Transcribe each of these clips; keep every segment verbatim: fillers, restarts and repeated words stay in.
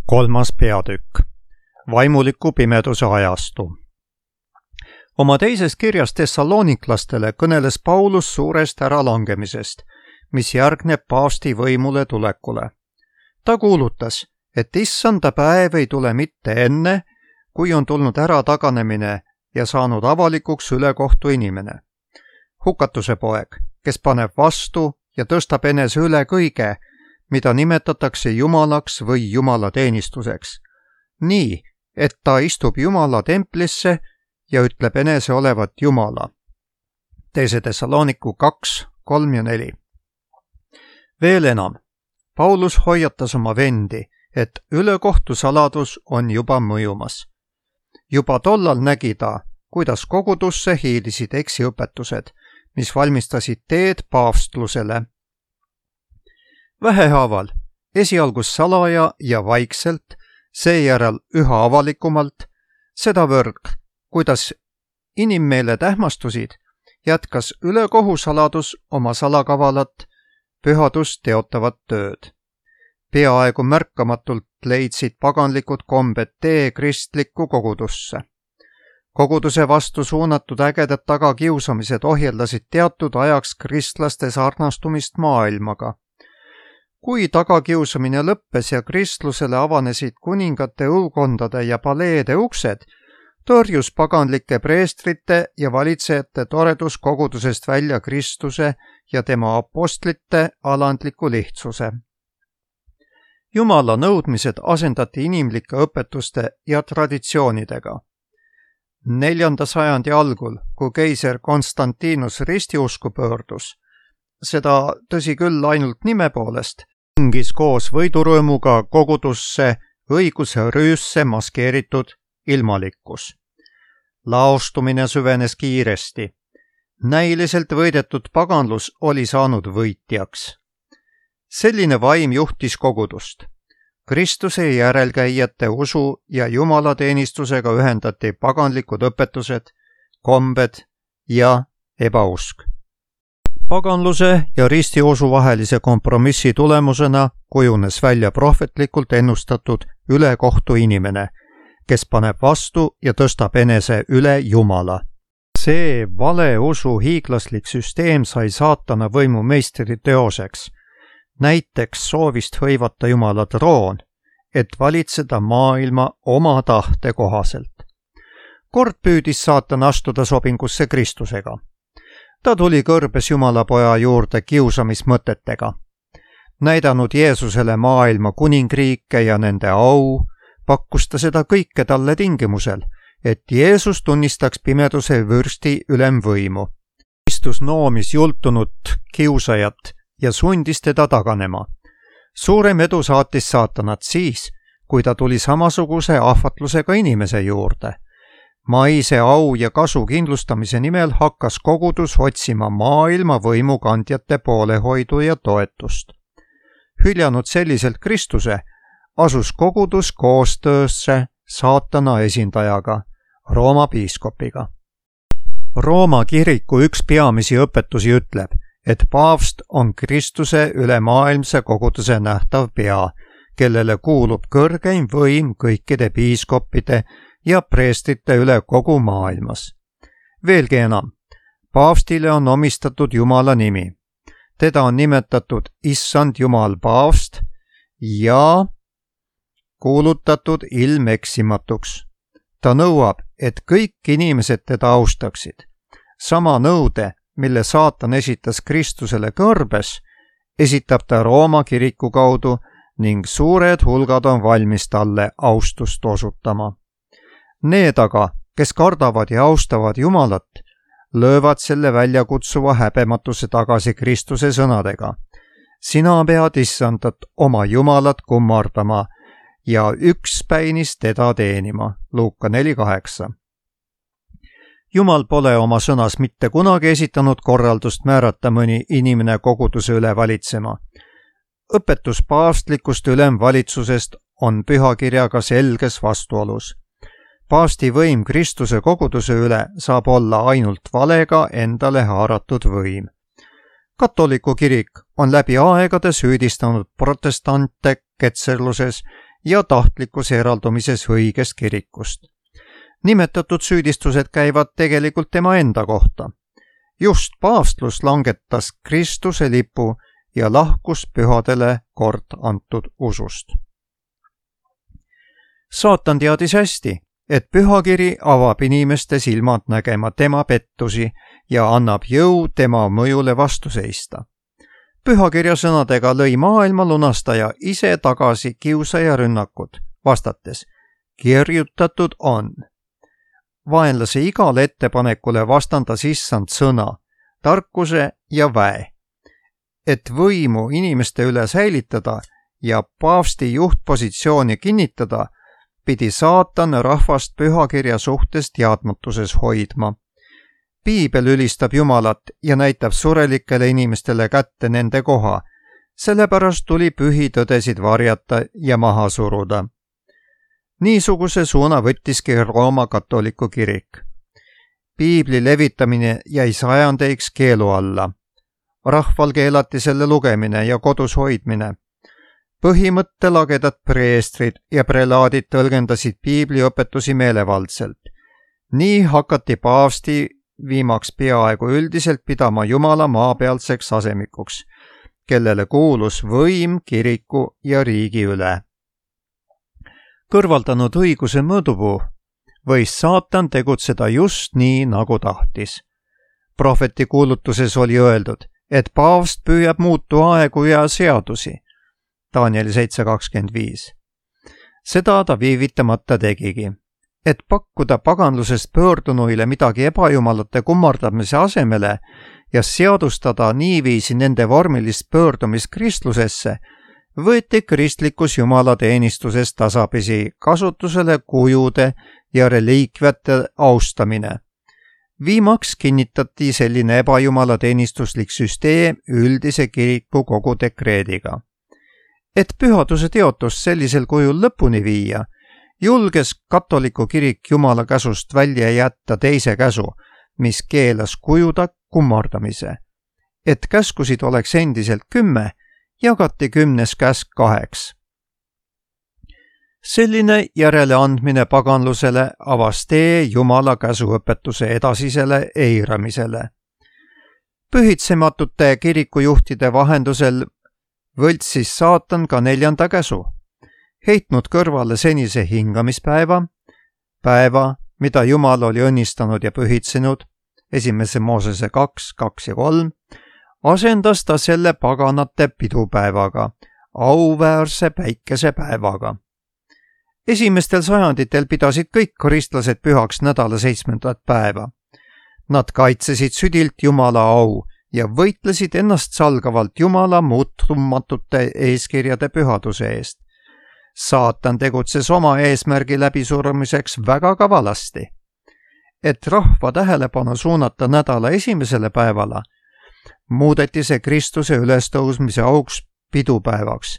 Kolmas peatükk. Vaimuliku pimeduse ajastu. Oma teises kirjas Thessaloniklastele kõneles Paulus suurest äralangemisest, mis järgneb paavsti võimule tulekule. Ta kuulutas, et issanda päev ei tule mitte enne, kui on tulnud ära taganemine ja saanud avalikuks ülekohtu inimene. Hukatuse poeg, kes paneb vastu ja tõstab enese üle kõige, mida nimetatakse jumalaks või jumala teenistuseks. Nii, et ta istub jumala templisse ja ütleb enese olevat jumala. Teise Thessaloniku kaks, kolm ja neli. Veel enam, Paulus hoiatas oma vendi, et ülekohtu saladus on juba mõjumas. Juba tollal nägi ta, kuidas kogudusse hiilisid eksiõpetused, mis valmistasid teed paavstlusele. Vähehaaval, esialgus salaja ja vaikselt, seejärel üha avalikumalt, sedavõrd, kuidas inimmeeled ähmastusid, jätkas ülekohusaladus oma salakavalat, pühadust teotavat tööd. Peaaegu märkamatult leidsid paganlikud kombed tee kristlikku kogudusse. Koguduse vastu suunatud ägedad tagakiusamised ohjeldasid teatud ajaks kristlaste sarnastumist maailmaga. Kui tagakiusamine lõppes ja kristlusele avanesid kuningate õukondade ja paleede uksed, tõrjus paganlike preestrite ja valitsejate toredus kogudusest välja Kristuse ja tema apostlite alandliku lihtsuse. Jumala nõudmised asendati inimlike õpetuste ja traditsioonidega. Neljanda sajandi algul, kui keiser Konstantinus ristiusku pöördus, seda tõsi küll ainult nime poolest, tungis koos võidurõõmuga kogudusse õiguse rüüsse maskeeritud ilmalikkus. Laostumine süvenes kiiresti. Näiliselt võidetud paganlus oli saanud võitjaks. Selline vaim juhtis kogudust. Kristuse järelkäijate usu ja jumalateenistusega ühendati paganlikud õpetused, kombed ja ebausk. Paganluse ja ristiusu vahelise kompromissi tulemusena kujunes välja prohvetlikult ennustatud ülekohtu inimene, kes paneb vastu ja tõstab enese üle Jumala. See valeusu hiiglaslik süsteem sai saatana võimu meistri teoseks, näiteks soovist hõivata Jumala troon, et valitseda maailma oma tahte kohaselt. Kord püüdis saatan astuda sobingusse Kristusega. Ta tuli kõrbes Jumala poja juurde kiusamismõtetega. Näidanud Jeesusele maailma kuningriike ja nende au, pakkus ta seda kõike talle tingimusel, et Jeesus tunnistaks pimeduse vürsti ülemvõimu. Kristus noomis jultunud kiusajat ja sundis teda taganema. Suurem edu saatis saatanat siis, kui ta tuli samasuguse ahvatlusega inimese juurde. Maise au ja kasu kindlustamise nimel hakkas kogudus otsima maailma võimukandjate poolehoidu ja toetust. Hüljanud selliselt Kristuse, asus kogudus koostöösse saatana esindajaga, Rooma piiskopiga. Rooma kiriku üks peamisi õpetusi ütleb, et paavst on Kristuse ülemaailmse koguduse nähtav pea, kellele kuulub kõrgeim võim kõikide piiskopide ja preestrite üle kogu maailmas. Veelgi enam, paavstile on omistatud Jumala nimi. Teda on nimetatud Issand Jumal paavst ja kuulutatud ilmeksimatuks. Ta nõuab, et kõik inimesed teda austaksid. Sama nõude, mille saatan esitas Kristusele kõrbes, esitab ta Rooma kiriku kaudu ning suured hulgad on valmis talle austust osutama. Need aga, kes kardavad ja austavad Jumalat, löövad selle väljakutsuva häbematuse tagasi Kristuse sõnadega. Sina pead issandat oma Jumalat kummardama ja ükspäinis teda teenima. Luuka neli kaheksa. Jumal pole oma sõnas mitte kunagi esitanud korraldust määrata mõni inimene koguduse üle valitsema. Õpetus paavstlikust ülemvalitsusest on pühakirjaga selges vastuolus. Paavsti võim Kristuse koguduse üle saab olla ainult valega endale haaratud võim. Katoliku kirik on läbi aegade süüdistanud protestante ketserluses ja tahtlikus eraldumises õigest kirikust. Nimetatud süüdistused käivad tegelikult tema enda kohta. Just paavstlus langetas Kristuse lipu ja lahkus pühadele kord antud usust. Saatan teadis hästi, et pühakiri avab inimeste silmad nägema tema pettusi ja annab jõu tema mõjule vastu seista. Pühakirja sõnadega lõi maailma lunastaja ise tagasi kiusaja rünnakud, vastates: kirjutatud on. Vaenlase igale ettepanekule vastandas issand sõna, tarkuse ja väe. Et võimu inimeste üle säilitada ja paavsti juhtpositsiooni kinnitada, pidi saatan rahvast pühakirja suhtes teadmatuses hoidma. Piibel ülistab Jumalat ja näitab surelikele inimestele kätte nende koha, sellepärast tuli pühitõdesid varjata ja maha suruda. Niisuguse suuna võttiski Rooma katoliku kirik. Piibli levitamine jäi sajandeiks keelu alla. Rahval keelati selle lugemine ja kodus hoidmine. Põhimõttelagedad preestrid ja prelaadid tõlgendasid piibli õpetusi meelevaldselt. Nii hakati paavsti viimaks peaaegu üldiselt pidama Jumala maapealseks asemikuks, kellele kuulus võim kiriku ja riigi üle. Kõrvaldanud õiguse mõõdupuu, võis saatan tegutseda just nii, nagu tahtis. Prohveti kuulutuses oli öeldud, et paavst püüab muutu aegu ja seadusi. Danieli seitse kakskümmend viis. Seda ta viivitamata tegigi, et pakkuda paganlusest pöördunuile midagi ebajumalate kummardamise asemele ja seadustada niiviisi nende vormilist pöördumist kristlusesse, võeti kristlikus jumalateenistuses tasapisi kasutusele kujude ja reliikviate austamine. Viimaks kinnitati selline ebajumalateenistuslik süsteem üldise kiriku kogu dekreediga. Et pühaduse teotust sellisel kujul lõpuni viia, julges katoliku kirik Jumala käsust välja jätta teise käsu, mis keelas kujuda kummardamise. Et käskusid oleks endiselt kümme, jagati kümnes käsk kaheks. Selline järeleandmine paganlusele avas tee Jumala käsuõpetuse edasisele eiramisele. Pühitsematute kirikujuhtide vahendusel võltsis saatan ka neljanda käsu, heitnud kõrvale senise hingamispäeva, päeva, mida Jumal oli õnnistanud ja pühitsenud, esimese Moosese kaks, kaks ja kolm, asendas ta selle paganate pidupäevaga, auväärse päikesepäevaga. Esimestel sajanditel pidasid kõik kristlased pühaks nädala seitsmendat päeva. Nad kaitsesid südilt Jumala au ja võitlesid ennast salgavalt Jumala muutumatute eeskirjade pühaduse eest. Saatan tegutses oma eesmärgi läbisurumiseks väga kavalasti. Et rahva tähelepanu suunata nädala esimesele päevale, muudeti see Kristuse ülestõusmise auks pidupäevaks,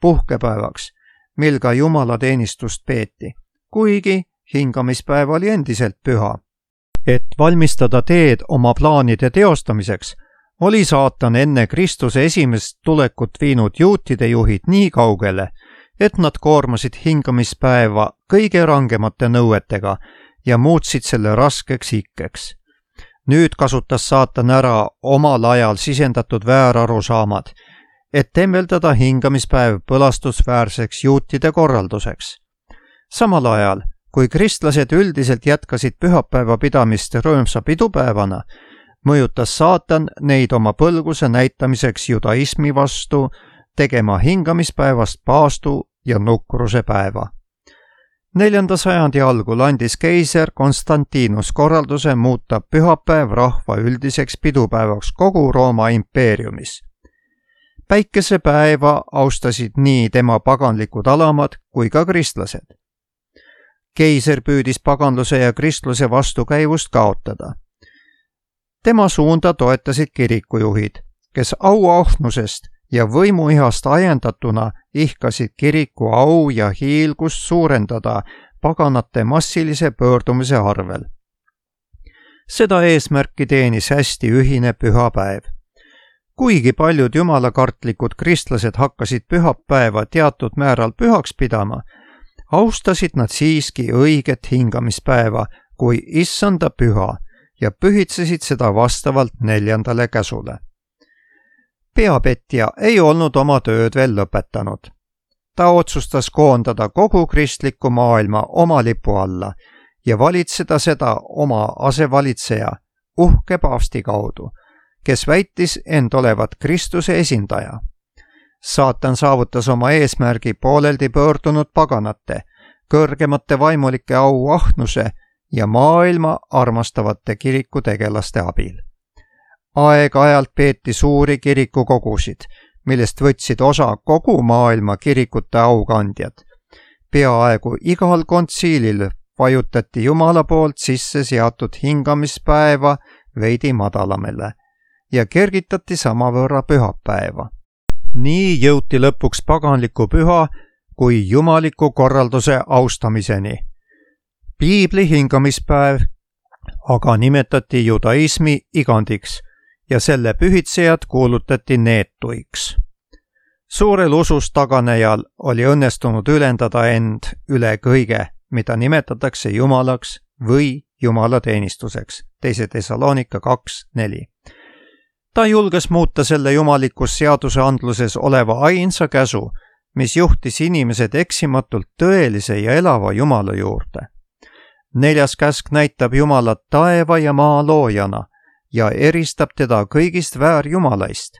puhkepäevaks, mil ka Jumala teenistust peeti, kuigi hingamispäev oli endiselt püha. Et valmistada teed oma plaanide teostamiseks, oli saatan enne Kristuse esimest tulekut viinud juutide juhid nii kaugele, et nad koormasid hingamispäeva kõige rangemate nõuetega ja muutsid selle raskeks ikkeks. Nüüd kasutas saatan ära omal ajal sisendatud väärarusaamad, et temmeldada hingamispäev põlastusväärseks juutide korralduseks. Samal ajal, kui kristlased üldiselt jätkasid pühapäeva pidamist rõõmsa pidupäevana, mõjutas saatan neid oma põlguse näitamiseks judaismi vastu tegema hingamispäevast paastu ja nukruse päeva. Neljanda sajandi algul andis keiser Konstantinus korralduse muuta pühapäev rahva üldiseks pidupäevaks kogu Rooma impeeriumis. Päikesepäeva austasid nii tema paganlikud alamad kui ka kristlased. Keiser püüdis paganluse ja kristluse vastukäivust kaotada. Tema suunda toetasid kirikujuhid, kes auahnusest ja võimuihast ajendatuna ihkasid kiriku au ja hiilgust suurendada paganate massilise pöördumise arvel. Seda eesmärki teenis hästi ühine pühapäev. kuigi paljud jumalakartlikud kristlased hakkasid pühapäeva teatud määral pühaks pidama, austasid nad siiski õiget hingamispäeva kui issanda püha ja pühitsesid seda vastavalt neljandale käsule. Peapetja ei olnud oma tööd veel lõpetanud. Ta otsustas koondada kogu kristliku maailma oma lipu alla ja valitseda seda oma asevalitseja, uhke paavsti kaudu, kes väitis end olevat Kristuse esindaja. Saatan saavutas oma eesmärgi pooleldi pöördunud paganate, kõrgemate vaimulike auahnuse ja maailma armastavate kirikutegelaste abil. Aeg-ajalt peeti suuri kirikukogusid, millest võtsid osa kogu maailma kirikute aukandjad. Peaaegu igal kontsiilil vajutati Jumala poolt sisse seatud hingamispäeva veidi madalamale ja kergitati samavõrra pühapäeva. Nii jõuti lõpuks paganliku püha kui jumaliku korralduse austamiseni. Piibli hingamispäev aga nimetati judaismi igandiks ja selle pühitsejad kuulutati neetuiks. Suurel usus taganejal oli õnnestunud ülendada end üle kõige, mida nimetatakse jumalaks või jumalateenistuseks, teise Thessalonika kaks neli. Ta julges muuta selle jumalikus seaduseandluses oleva ainsa käsu, mis juhtis inimesed eksimatult tõelise ja elava Jumala juurde. Neljas käsk näitab Jumalat taeva ja maa loojana ja eristab teda kõigist väärjumalaist.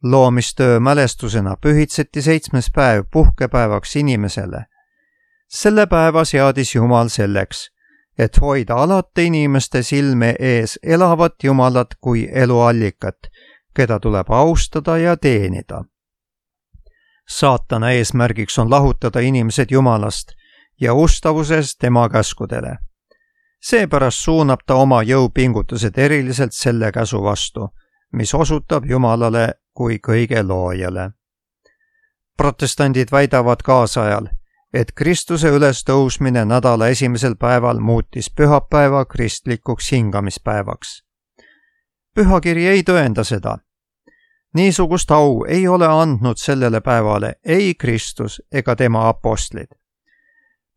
Loomistöö mälestusena pühitseti seitsmes päev puhkepäevaks inimesele. Selle päeva seadis Jumal selleks, et hoida alati inimeste silme ees elavat Jumalat kui eluallikat, keda tuleb austada ja teenida. Saatana eesmärgiks on lahutada inimesed Jumalast ja ustavusest tema käskudele. Seepärast suunab ta oma jõupingutused eriliselt selle käsu vastu, mis osutab Jumalale kui kõige loojale. Protestandid väidavad kaasajal, et Kristuse ülestõusmine nädala esimesel päeval muutis pühapäeva kristlikuks hingamispäevaks. Pühakiri ei tõenda seda. Niisugust au ei ole andnud sellele päevale ei Kristus ega tema apostlid.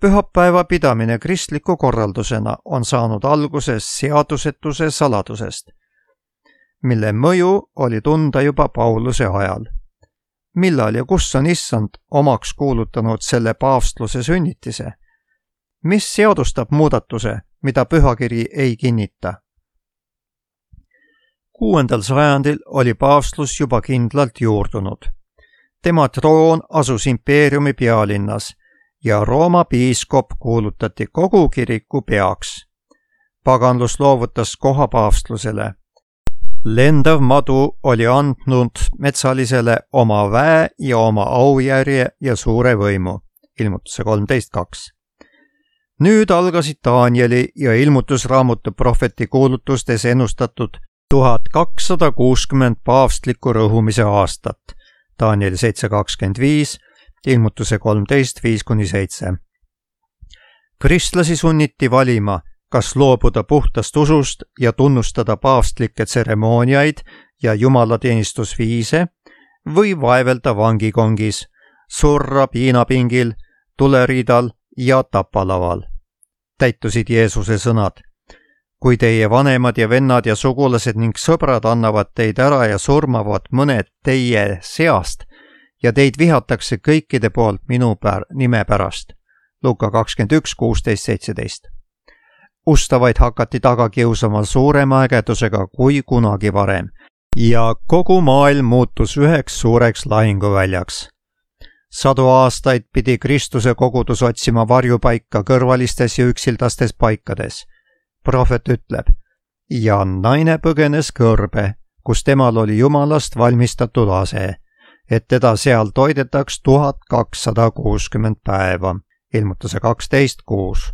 Pühapäeva pidamine kristliku korraldusena on saanud alguses seadusetuse saladusest, mille mõju oli tunda juba Pauluse ajal. Millal ja kus on issand omaks kuulutanud selle paavstluse sünnitise? Mis seadustab muudatuse, mida pühakiri ei kinnita? Kuuendal sajandil oli paavstlus juba kindlalt juurdunud. Tema troon asus impeeriumi pealinnas ja Rooma piiskop kuulutati kogu kiriku peaks. Paganlus loovutas koha paavstlusele. Lendav madu oli andnud metsalisele oma väe ja oma aujärje ja suure võimu. Ilmutuse kolmteist kaks. Nüüd algasid Danieli ja ilmutusraamatu prohveti kuulutustes ennustatud tuhat kakssada kuuskümmend paavstliku rõhumise aastat. Danieli seitse kakskümmend viis, ilmutuse kolmteist viis kuni seitse. Kristlasi sunniti valima, kas loobuda puhtast usust ja tunnustada paavstlikke tseremooniaid ja jumalateenistusviise või vaevelda vangikongis, surra piinapingil, tuleriidal ja tapalaval. Täitusid Jeesuse sõnad. Kui teie vanemad ja vennad ja sugulased ning sõbrad annavad teid ära ja surmavad mõned teie seast ja teid vihatakse kõikide poolt minu pär, nime pärast. Luka kakskümmend üks kuusteist seitseteist. Ustavaid hakati taga kiusama suurema ägedusega kui kunagi varem ja kogu maailm muutus üheks suureks lahinguväljaks. Sadu aastaid pidi Kristuse kogudus otsima varjupaika kõrvalistes ja üksildastes paikades. Prohvet ütleb, ja naine põgenes kõrbe, kus temal oli Jumalast valmistatud ase, et teda seal toidetaks tuhat kakssada kuuskümmend päeva. Ilmutuse kaksteist kuus.